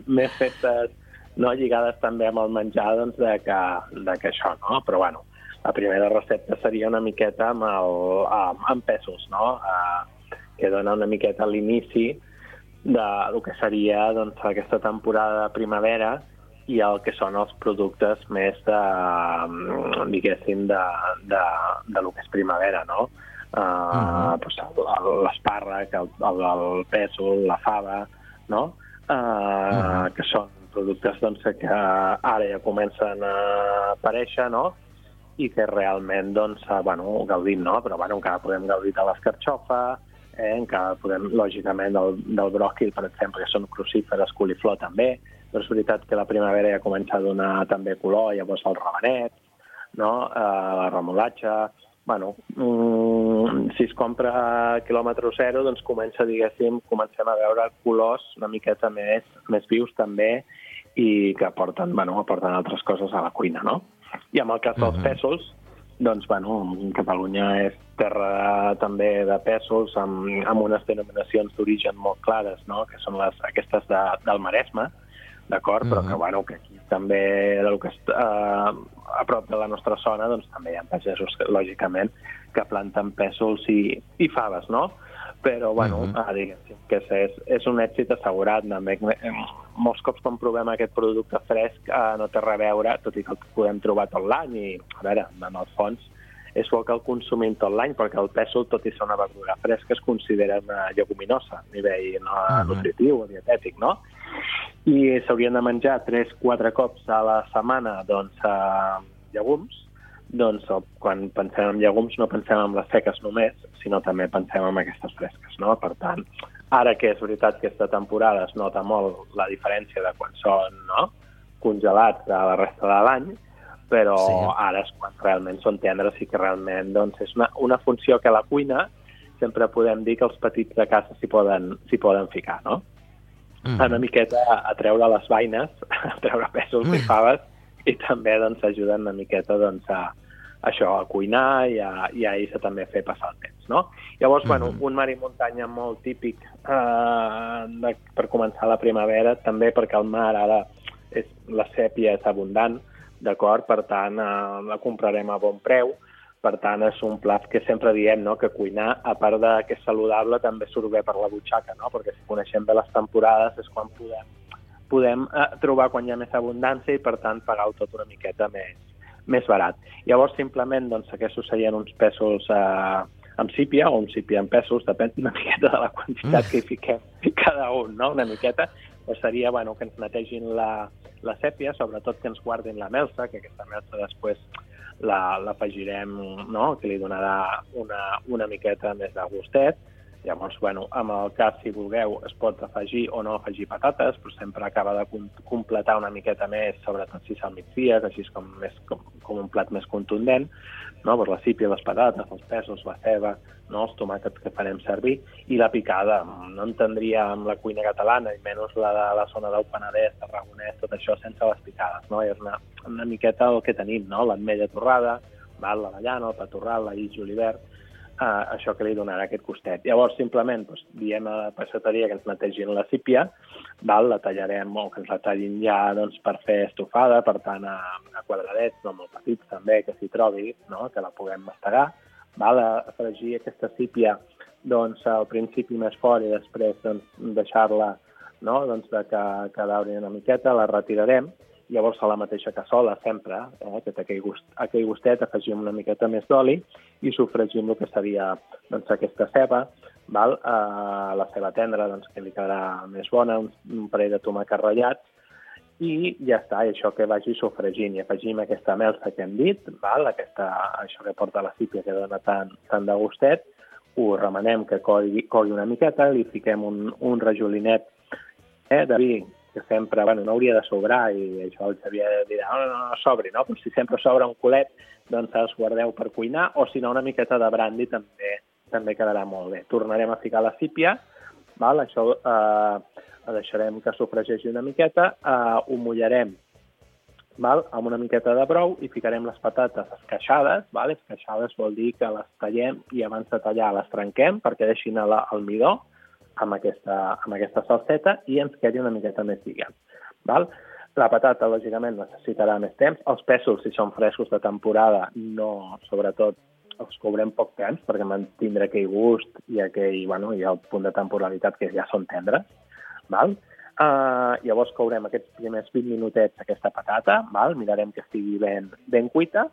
més festes no? Lligades també amb el menjar doncs, de, que, de que això, no? Però bueno, la primera recepta seria una miqueta amb, el, amb, amb pesos, no? Uh, que dona una miqueta l'inici del que seria doncs, aquesta temporada de primavera i el que són els productes més de, diguéssim, de, de, de lo que és primavera, no? Uh, uh-huh. Pues, l'espàrrec, el, el, el pèsol, la fava, no? Uh, uh-huh. Que són productes doncs, que ara ja comencen a aparèixer, no? I que realment, doncs, bueno, gaudim, no? Però, bueno, encara podem gaudir de l'escarxofa, eh? Encara podem, lògicament, del, del bròquil, per exemple, que són crucíferes, coliflor també, però és veritat que la primavera ja comença a donar també color, llavors el rabanet, no? Uh, la remolatxa. Bueno, mm, si es compra a quilòmetre zero, doncs comença, diguéssim, comencem a veure colors una miqueta més, més vius també i que aporten, bueno, aporten altres coses a la cuina, no? I en el cas dels pèsols, doncs, bueno, Catalunya és terra també de pèsols amb, amb unes denominacions d'origen molt clares, no? Que són les, aquestes de, del Maresme, d'acord? Uh-huh. Però que, bueno, que aquí també, del que està uh, a prop de la nostra zona, doncs també hi ha pagesos, lògicament, que planten pèsols i, i faves, no? Però, bueno, uh-huh. uh, diguéssim que és, és un èxit assegurat. També. Molts cops quan provem aquest producte fresc uh, no té res a veure, tot i que el podem trobar tot l'any i, a veure, en el fons, és bo que el consumim tot l'any, perquè el pèsol, tot i ser una verdura fresca, es considera una lleguminosa a nivell no, uh-huh. nutritiu o dietètic, no? I s'haurien de menjar tres quatre cops a la setmana doncs, eh, llegums. Doncs quan pensem en llegums no pensem en les seques només, sinó també pensem en aquestes fresques, no? Per tant, ara que és veritat que aquesta temporada es nota molt la diferència de quan són, no?, congelats a la resta de l'any, però sí. Ara és quan realment són tendres i que realment doncs, és una, una funció que a la cuina sempre podem dir que els petits de casa s'hi poden, s'hi poden ficar, no? Mm. Una miqueta a treure les vaines, a treure pèsols mm. i faves, i també doncs, ajuden una miqueta doncs, a, a això, a cuinar i a, i a ells també fer passar el temps, no? Llavors, mm. bueno, un mar i muntanya molt típic eh, de, per començar la primavera, també perquè el mar ara és, la sèpia és abundant, d'acord? Per tant, eh, la comprarem a bon preu. Per tant, és un plat que sempre diem, no?, que cuinar, a part de que és saludable, també surt bé per la butxaca, no? Perquè si coneixem bé les temporades és quan podem, podem eh, trobar quan hi ha més abundància i, per tant, pagar-ho tot una miqueta més, més barat. Llavors, simplement, doncs, aquests serien uns pèsols eh, amb sípia o un sípia amb pèsols, depèn una miqueta de la quantitat que hi fiquem cada un, no?, una miqueta. O seria, bueno, que ens netegin la, la sèpia, sobretot que ens guardin la melsa, que aquesta melsa després l'afegirem, no?, que li donarà una, una miqueta més de gustet. Llavors, bueno, en el cas, si vulgueu, es pot afegir o no afegir patates, però sempre acaba de completar una miqueta més, sobretot si se'l migdia, així com, més, com, com un plat més contundent, no? Pues la sípia, les patates, els pèsols, la ceba, no? Els tomàquets que farem servir, i la picada. No entendria amb la cuina catalana, i menys la de la zona del Penedès, Tarragonès, tot això sense les picades, no? I és una, una miqueta el que tenim, no? L'ametlla torrada, val? L'avellana, el pa torrat, l'aït julivert, Uh, això que li donarà aquest costet. Llavors, simplement, doncs, diem a la passeteria que ens netegin la sípia, val? La tallarem o que ens la tallin ja doncs, per fer estofada, per tant, a, a quadradets, no molt petits també, que s'hi trobi, no? Que la puguem mastegar. Val? A fregir aquesta sípia doncs, al principi més fort i després doncs, deixar-la, no? Doncs, de que, que dauri una miqueta, la retirarem. Llavors, a la mateixa cassola, sempre, eh, que té aquell, gust, aquell gustet, afegim una miqueta més d'oli i sofregim el que seria doncs, aquesta ceba, val? Eh, la ceba tendra, doncs, que li quedarà més bona, un, un parell de tomàquets ratllats, i ja està, i això que vagi sofregint. I afegim aquesta melsa que hem dit, val? Aquesta, això que porta la sípia que dona tant, tant de gustet, ho remenem que cogui, cogui una miqueta, li fiquem un, un rajolinet eh, de vi, que sempre, bueno, no hauria de sobrar, i això el Xavier dirà, no, no, no sobri, no? Però si sempre sobra un culet, doncs els guardeu per cuinar, o si no, una miqueta de brandy també també quedarà molt bé. Tornarem a ficar la sípia, val? Això eh, deixarem que sofregeixi una miqueta, eh, ho mullarem, val? Amb una miqueta de brou i ficarem les patates esqueixades, val? Esqueixades vol dir que les tallem i abans de tallar les trenquem perquè deixin l'almidó amb aquesta, amb aquesta salseta i ens quedi una miqueta més lligat. Val? La patata, lògicament, necessitarà més temps. Els pèsols, si són frescos de temporada, no, sobretot els cobrem poc temps perquè mantindre aquell gust i, aquell, bueno, i el punt de temporalitat que ja són tendres. Val? Uh, llavors courem aquests primers vint minutets aquesta patata, val? Mirarem que estigui ben, ben cuita,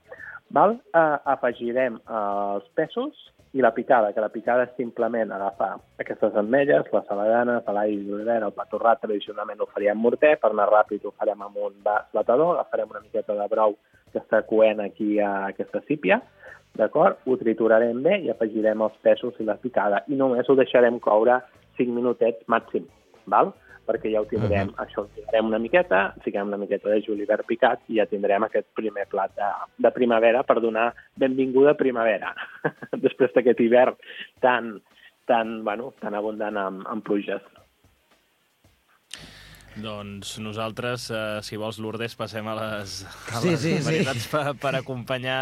val? Uh, afegirem uh, els pèsols i la picada, que la picada és simplement agafar aquestes ametlles, les saladanes, l'all i l'olivera, el pa torrat, tradicionalment ho faríem morter, per anar ràpid ho farem amb un vas batedor, agafarem una miqueta de brou que està coent aquí a aquesta sípia, d'acord? Ho triturarem bé i afegirem els pèsols i la picada i només ho deixarem coure cinc minutets màxim, val? Perquè ja ho tindrem, uh-huh. això ho tindrem una miqueta, fiquem una miqueta de julivert picat i ja tindrem aquest primer plat de, de primavera per donar benvinguda a primavera, després d'aquest hivern tan, tan, bueno, tan abundant amb, amb pluges. Doncs nosaltres, eh, si vols, Lourdes, passem a les, a sí, les sí, varietats sí. per, per acompanyar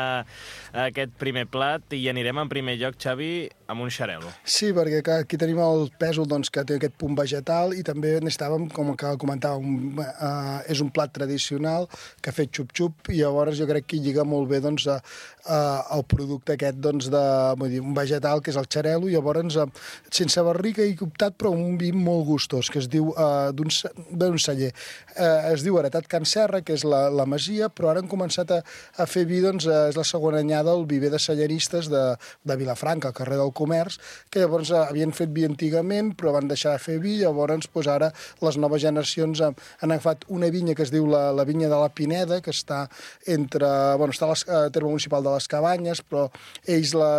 aquest primer plat i anirem en primer lloc, Xavi, amb un xarel·lo. Sí, perquè aquí tenim el pèsol doncs, que té aquest punt vegetal i també necessitàvem, com que comentàvem, uh, és un plat tradicional que ha fet xup-xup i llavors jo crec que hi lliga molt bé doncs, uh, uh, el producte aquest doncs, de vull dir, un vegetal que és el xarel·lo i llavors uh, sense barrica i optat però un vi molt gustós que es diu uh, d'un d'un celler. Eh, es diu Heretat Can Serra, que és la, la masia, però ara han començat a, a fer vi, doncs, eh, és la segona anyada al viver de celleristes de, de Vilafranca, al carrer del Comerç, que llavors eh, havien fet vi antigament, però van deixar de fer vi, llavors pues, ara les noves generacions han, han agafat una vinya que es diu la, la vinya de la Pineda, que està entre, bueno, està a la terme municipal de les Cabanyes, però ells la,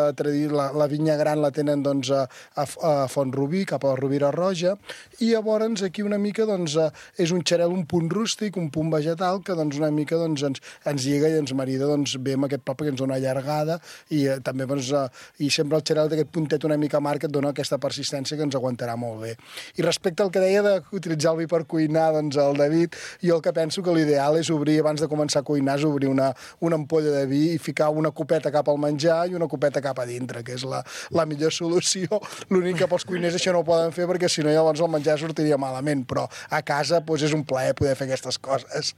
la, la vinya gran la tenen doncs, a, a Font-rubí, cap a la Rovira Roja, i llavors aquí una mica doncs, és un xarel, un punt rústic, un punt vegetal, que doncs, una mica doncs, ens, ens lliga i ens marida doncs, bé amb aquest plat perquè ens dona allargada i eh, també doncs, eh, i sempre el xarel d'aquest puntet una mica amarg que et dona aquesta persistència que ens aguantarà molt bé. I respecte al que deia d'utilitzar el vi per cuinar, doncs el David, jo el que penso que l'ideal és obrir, abans de començar a cuinar, és obrir una, una ampolla de vi i ficar una copeta cap al menjar i una copeta cap a dintre, que és la, la millor solució. L'únic que pels cuiners això no ho poden fer perquè si no llavors el menjar sortiria malament, però a casa doncs, és un plaer poder fer aquestes coses.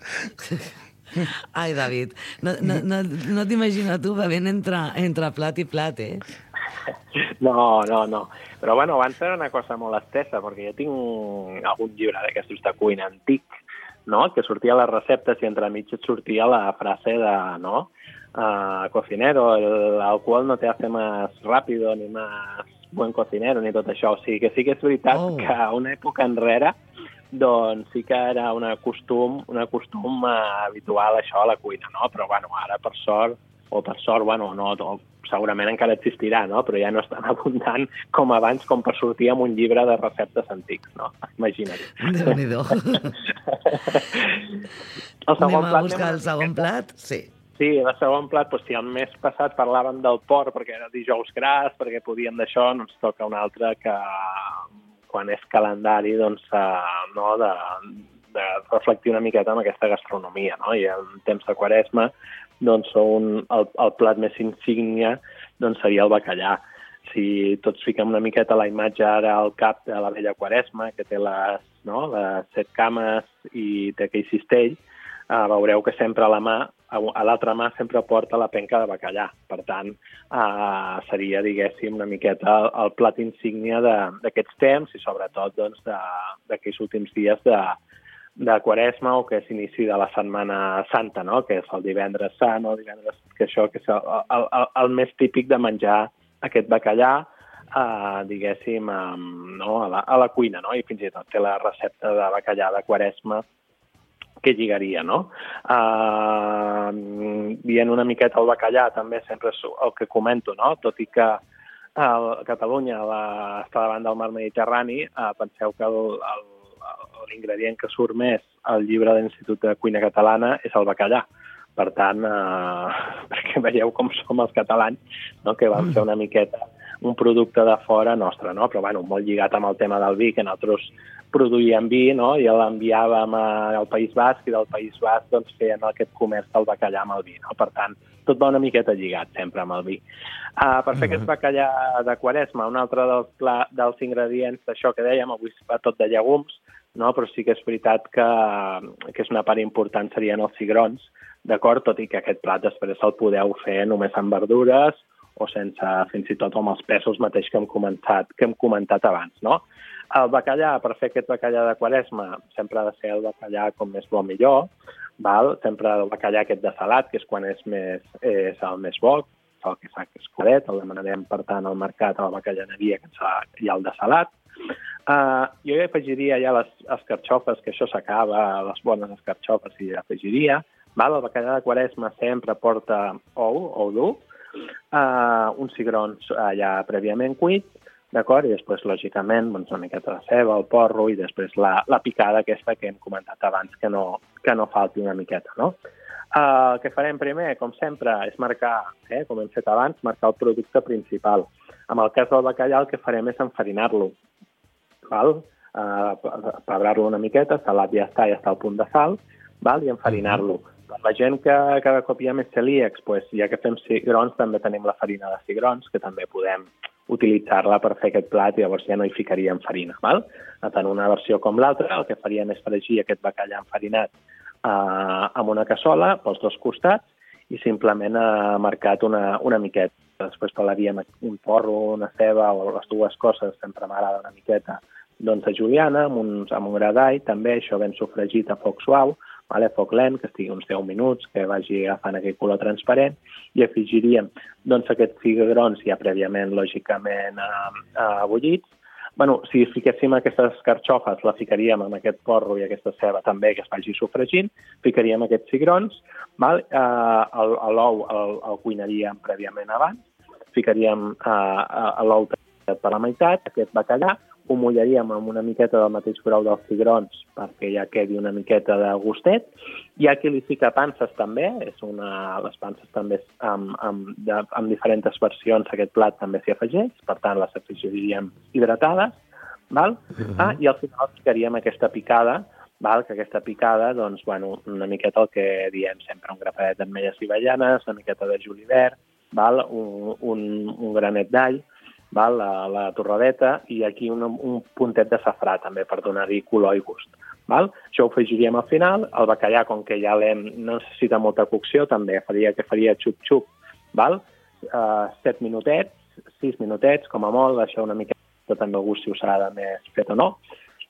Ai, David, no, no, no, no t'imagino tu bevent entre, entre plat i plat, eh? No, no, no. Però, bueno, abans era una cosa molt estesa, perquè jo tinc algun llibre d'aquestos de cuina antic, no?, que sortia a les receptes i entremig et sortia la frase de, no?, uh, cocinero, el alcohol no te hace más rápido ni más buen cocinero, ni tot això. O sigui que sí que és veritat oh. que a una època enrere doncs sí que era un costum, un costum uh, habitual això a la cuina, no? Però, bueno, ara per sort, o per sort, bueno, no, no, segurament encara existirà, no? Però ja no és tan abundant com abans, com per sortir amb un llibre de receptes antics, no? Imagina't. Déu-n'hi-do. Anem a buscar el segon plat? Sí. Sí, el segon plat, doncs, si el mes passat parlàvem del porc perquè era dijous gras, perquè podíem d'això, no ens toca un altre que quan és calendari, doncs, uh, no, de, de reflectir una miqueta amb aquesta gastronomia, no? I en temps de Quaresma, doncs, un, el, el plat més insígnia doncs, seria el bacallà. Si tots fiquem una miqueta la imatge ara al cap de la vella Quaresma, que té les, no, les set cames i té aquell cistell, uh, veureu que sempre a la mà, a l'altra mà sempre porta la penca de bacallà. Per tant, eh, seria, diguéssim, una miqueta el, el plat insígnia d'aquests temps i sobretot doncs, d'aquells últims dies de, de Quaresma o que és inici de la Setmana Santa, no?, que és el divendres sant o divendres, que això que és el, el, el, el més típic de menjar aquest bacallà, eh, diguéssim, eh, no?, a, la, a la cuina, no?, i fins i tot té la recepta de bacallà de Quaresma que lligaria, no? Uh, dient una miqueta el bacallà, també sempre és el que comento, no? Tot i que uh, Catalunya la, està davant del mar Mediterrani, uh, penseu que l'ingredient que surt més al llibre de l'Institut de Cuina Catalana és el bacallà. Per tant, uh, perquè veieu com som els catalans, no?, que vam fer una miqueta un producte de fora nostre, no? Però, bueno, molt lligat amb el tema del vi, que nosaltres produïem vi, no?, i l'enviàvem al País Basc, i del País Basc doncs, feien aquest comerç del bacallà amb el vi, no? Per tant, tot va una miqueta lligat sempre amb el vi. Uh, per fer aquest bacallà de Quaresma, un altre dels, pla, dels ingredients d'això que dèiem, avui va tot de llegums, no? Però sí que és veritat que, que és una part important serien els cigrons, d'acord? Tot i que aquest plat després el podeu fer només amb verdures o sense fins i tot amb els pèsols mateix que hem comentat, que hem comentat abans, no? El bacallà, per fer aquest bacallà de Quaresma, sempre ha de ser el bacallà com més bo millor, val? Sempre el bacallà aquest de salat, que és quan és, més, és el més bo, el que fa que és claret, el demanarem per tant al mercat, a la bacallaneria, que hi ha el de salat. Uh, jo hi afegiria ja les escarxofes, que això s'acaba, les bones escarxofes hi afegiria. Val? El bacallà de Quaresma sempre porta ou, ou dur, uh, uns cigrons uh, ja prèviament cuits, d'acord? I després, lògicament, doncs, una miqueta de ceba, el porro i després la, la picada aquesta que hem comentat abans, que no, que no falti una miqueta, no? Uh, el que farem primer, com sempre, és marcar, eh, com hem fet abans, marcar el producte principal. En el cas del bacallà, el que farem és enfarinar-lo. Val? Uh, pebrar-lo una miqueta, salat ja està, ja està al punt de sal, val? I enfarinar-lo. Per la gent que cada cop hi ha més celíacs, pues, ja que fem cigrons, també tenim la farina de cigrons, que també podem utilitzar-la per fer aquest plat i llavors ja no hi ficaríem farina. Val? Tant una versió com l'altra, el que faríem és fregir aquest bacallà enfarinat Uh, amb una cassola pels dos costats i simplement ha uh, marcat una, una miqueta. Després pelaríem un porro, una ceba o les dues coses, sempre m'agrada una miqueta doncs, de juliana, amb un, amb un gra d'all, també això ben sofregit a foc suau, vale? A foc lent, que estigui uns deu minuts, que vagi agafant aquell color transparent, i afegiríem doncs, aquests cigrons ja prèviament, lògicament, uh, uh, bullits. Bueno, si fiquéssim aquestes escarxofes, la ficaríem amb aquest porro i aquesta ceba també, que es vagi sofregint, ficaríem aquests cigrons, val? Uh, l'ou el, el cuinaríem prèviament abans, ficaríem uh, l'ou per la meitat, aquest bacallà, ho mullaríem amb una miqueta del mateix brou dels cigrons perquè ja quedi una miqueta de gustet. Hi ha qui li fica panses també, és una, les panses també amb, amb, de, amb diferents versions aquest plat també s'hi afegeix, per tant les afegiríem hidratades, val? Uh-huh. Ah, i al final ficaríem aquesta picada, val? Que aquesta picada, doncs, bueno, una miqueta el que diem sempre, un grapadet d'ametlles i avellanes, una miqueta de julivert, val? Un, un, un granet d'all, val? La, la torradeta i aquí un, un puntet de safrà també per donar-hi color i gust. Val? Això ho afegiríem al final. El bacallà, com que ja l'hem, no necessita molta cocció, també faria que faria xup-xup, val? Uh, set minutets, sis minutets, com a molt, deixar una miqueta també el gust si us agrada més fet o no,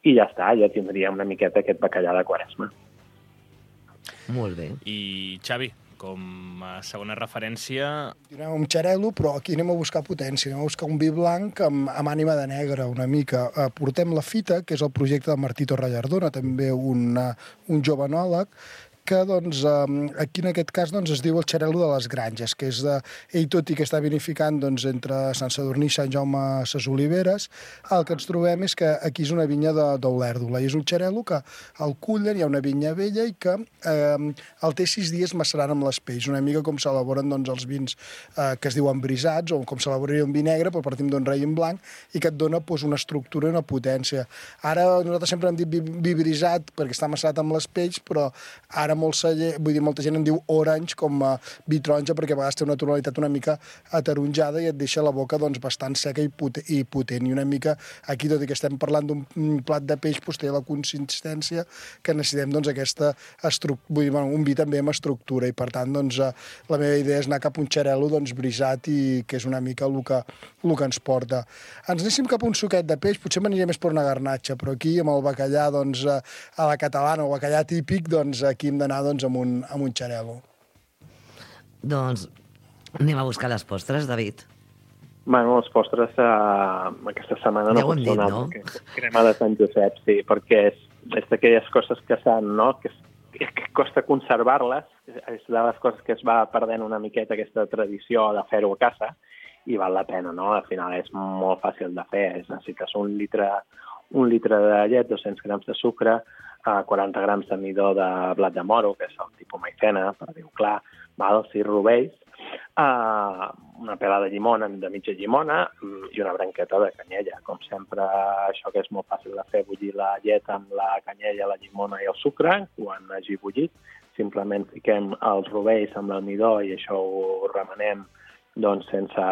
i ja està, ja tindríem una miqueta aquest bacallà de Quaresma. Molt bé. I Xavi, com a segona referència... Anem amb xarel·lo, però aquí anem a buscar potència, anem a buscar un vi blanc amb, amb ànima de negre, una mica. Eh, portem la Fita, que és el projecte de Martí Torrallardona, també un, un jove enòleg, que doncs, aquí en aquest cas doncs, es diu el xarel·lo de les Granges, que és de, ell tot i que està vinificant doncs, entre Sant Sadurní i Sant Jaume ses Oliveres, el que ens trobem és que aquí és una vinya d'Olèrdola, i és un xarel·lo que el cullen, hi ha una vinya vella i que eh, el té sis dies macerant amb les pells, una mica com s'elaboren doncs, els vins eh, que es diuen brisats, o com s'elaboraria un vi negre, però partim d'un raïm blanc, i que et dona doncs, una estructura i una potència. Ara nosaltres sempre hem dit vi, vi brisat perquè està macerat amb les pells, però ara molt celler, vull dir, molta gent en diu orange com a vi taronja perquè a vegades té una tonalitat una mica ataronjada i et deixa la boca doncs, bastant seca i, pot i potent. I una mica aquí, tot i que estem parlant d'un plat de peix, doncs, té la consistència que necessitem doncs, aquesta estructura, vull dir, bueno, un vi també amb estructura i per tant doncs, la meva idea és anar cap a un xarel·lo doncs, brisat i que és una mica el que, el que ens porta. Ens anéssim cap a un suquet de peix, potser m'aniria més per una garnatxa, però aquí amb el bacallà doncs, a la catalana, el bacallà típic, doncs, aquí hem d'anar doncs, amb, un, amb un xarel·lo. Doncs anem a buscar les postres, David. Bueno, les postres uh, aquesta setmana no ja pot dit, donar, no? perquè crema de Sant Josep, sí, perquè és, és d'aquelles coses que s'han, no?, que, que costa conservar-les, és de les coses que es va perdent una miqueta aquesta tradició de fer-ho a casa, i val la pena, no? Al final és molt fàcil de fer, és, necessites un litre, un litre de llet, dos-cents grams de sucre, quaranta grams de midó de blat de moro, que és el tipus maicena, per dir-ho clar, val? sis rovells, uh, una pela de llimona, de mitja llimona, i una branqueta de canyella. Com sempre, això que és molt fàcil de fer, bullir la llet amb la canyella, la llimona i el sucre, quan hagi bullit, simplement fiquem els rovells amb l'almidó i això ho remenem doncs sense...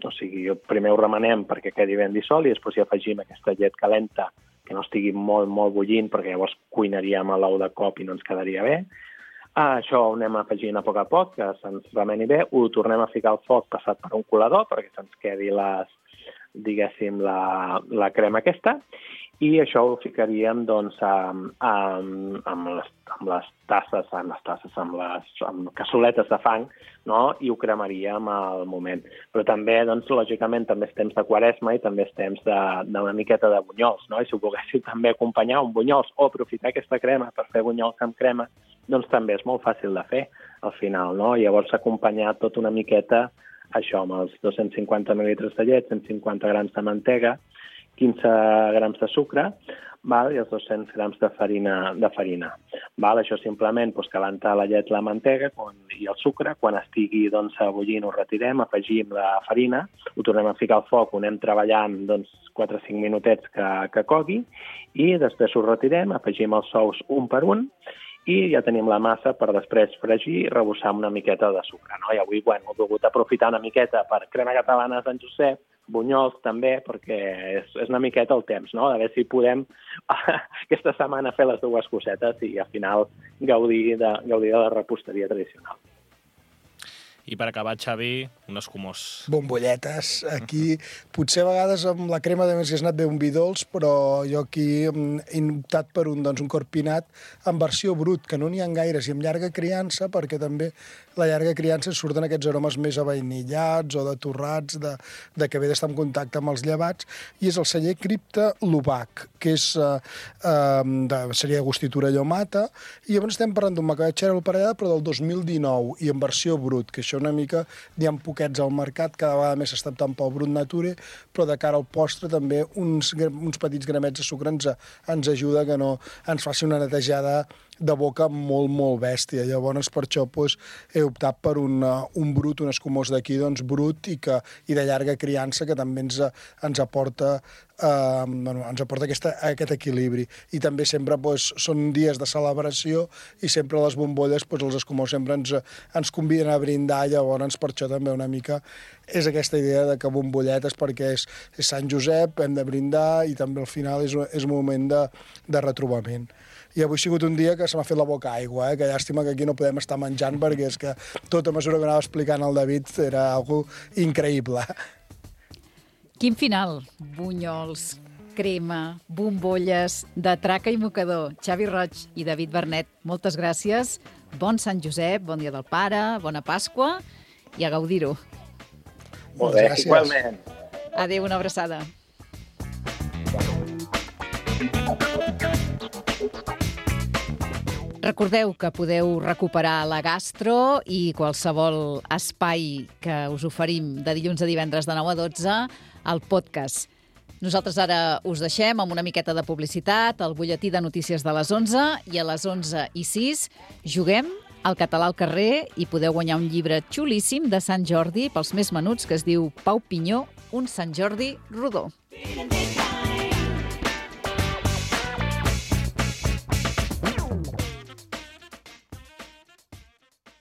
O sigui, primer ho remenem perquè quedi ben dissolt i després hi afegim aquesta llet calenta que no estigui molt, molt bullint, perquè llavors cuinaríem a l'ou de cop i no ens quedaria bé. Ah, això ho anem afegint a poc a poc, que se'ns remeni bé, ho tornem a ficar al foc passat per un colador perquè se'ns quedi les, diguéssim, la, la crema aquesta, i això ho ficaríem doncs, amb, amb, amb, les, amb les tasses, amb les tasses, amb les amb cassoletes de fang, no? I ho cremaríem al moment. Però també, doncs, lògicament, també és temps de quaresma i també és temps d'una miqueta de bunyols, no? I si ho volguéssiu també acompanyar un bunyols o aprofitar aquesta crema per fer bunyols amb crema, doncs també és molt fàcil de fer al final, no? Llavors acompanyar tot una miqueta això amb els dos-cents cinquanta mil·litres de llet, cent cinquanta grams de mantega, quinze grams de sucre, val? I els dos-cents grams de farina. De farina val? Això simplement doncs, calentar la llet, la mantega quan, i el sucre. Quan estigui doncs, bullint ho retirem, afegim la farina, ho tornem a ficar al foc, ho anem treballant doncs, quatre o cinc minutets que, que cogui i després ho retirem, afegim els sous un per un i ja tenim la massa per després fregir i rebossar amb una miqueta de sucre. No? I avui bueno, he volgut aprofitar una miqueta per crema catalana de Sant Josep, bunyols també, perquè és, és una miqueta el temps, no? A veure si podem aquesta setmana fer les dues cosetes i al final gaudir de, gaudir de la reposteria tradicional. I per acabar, Xavi, un escumós. Bombolletes. Aquí, potser a vegades amb la crema de més que has anat bé un vi dolç, però jo aquí he optat per un, doncs, un corpinat en versió brut, que no n'hi ha gaires, i amb llarga criança, perquè també la llarga criança surten aquests aromes més avainillats o de torrats, de, de que ve d'estar en contacte amb els llevats, i és el celler Cripta Lubac, que és, eh, eh, de, seria Agustitura Llomata, i llavors estem parlant d'un macabetxer al parellada, però del dos mil dinou, i en versió brut, que això una mica n'hi ha poquets al mercat, cada vegada més s'està optant pel brut nature, però de cara al postre també uns, uns petits gramets de sucre ens, ens ajuda que no ens faci una netejada de boca molt, molt bèstia. Llavors, per això doncs, he optat per un, un brut, un escumós d'aquí, doncs brut i, que, i de llarga criança, que també ens, ens aporta eh, bueno, ens aporta aquesta, aquest equilibri. I també sempre doncs, són dies de celebració i sempre les bombolles, doncs, els escumós sempre ens, ens conviden a brindar, llavors per això també una mica és aquesta idea de que bombolletes perquè és, és Sant Josep, hem de brindar i també al final és, és un moment de, de retrobament. I avui ha sigut un dia que se m'ha fet la boca aigua, eh? Que llàstima que aquí no podem estar menjant perquè és que tota mesura que anava explicant el David era algo increïble. Quin final? Bunyols, crema, bombolles, de traca i mocador. Xavi Roig i David Bernet, moltes gràcies. Bon Sant Josep, bon dia del pare, bona Pasqua i a gaudir-ho. Molt bé, igualment. Adéu, una abraçada. Recordeu que podeu recuperar la gastro i qualsevol espai que us oferim de dilluns a divendres de nou a dotze al podcast. Nosaltres ara us deixem amb una miqueta de publicitat, el butlletí de notícies de les onze i a les onze i sis juguem al català al carrer i podeu guanyar un llibre xulíssim de Sant Jordi pels més menuts que es diu Pau Pinyó, un Sant Jordi rodó.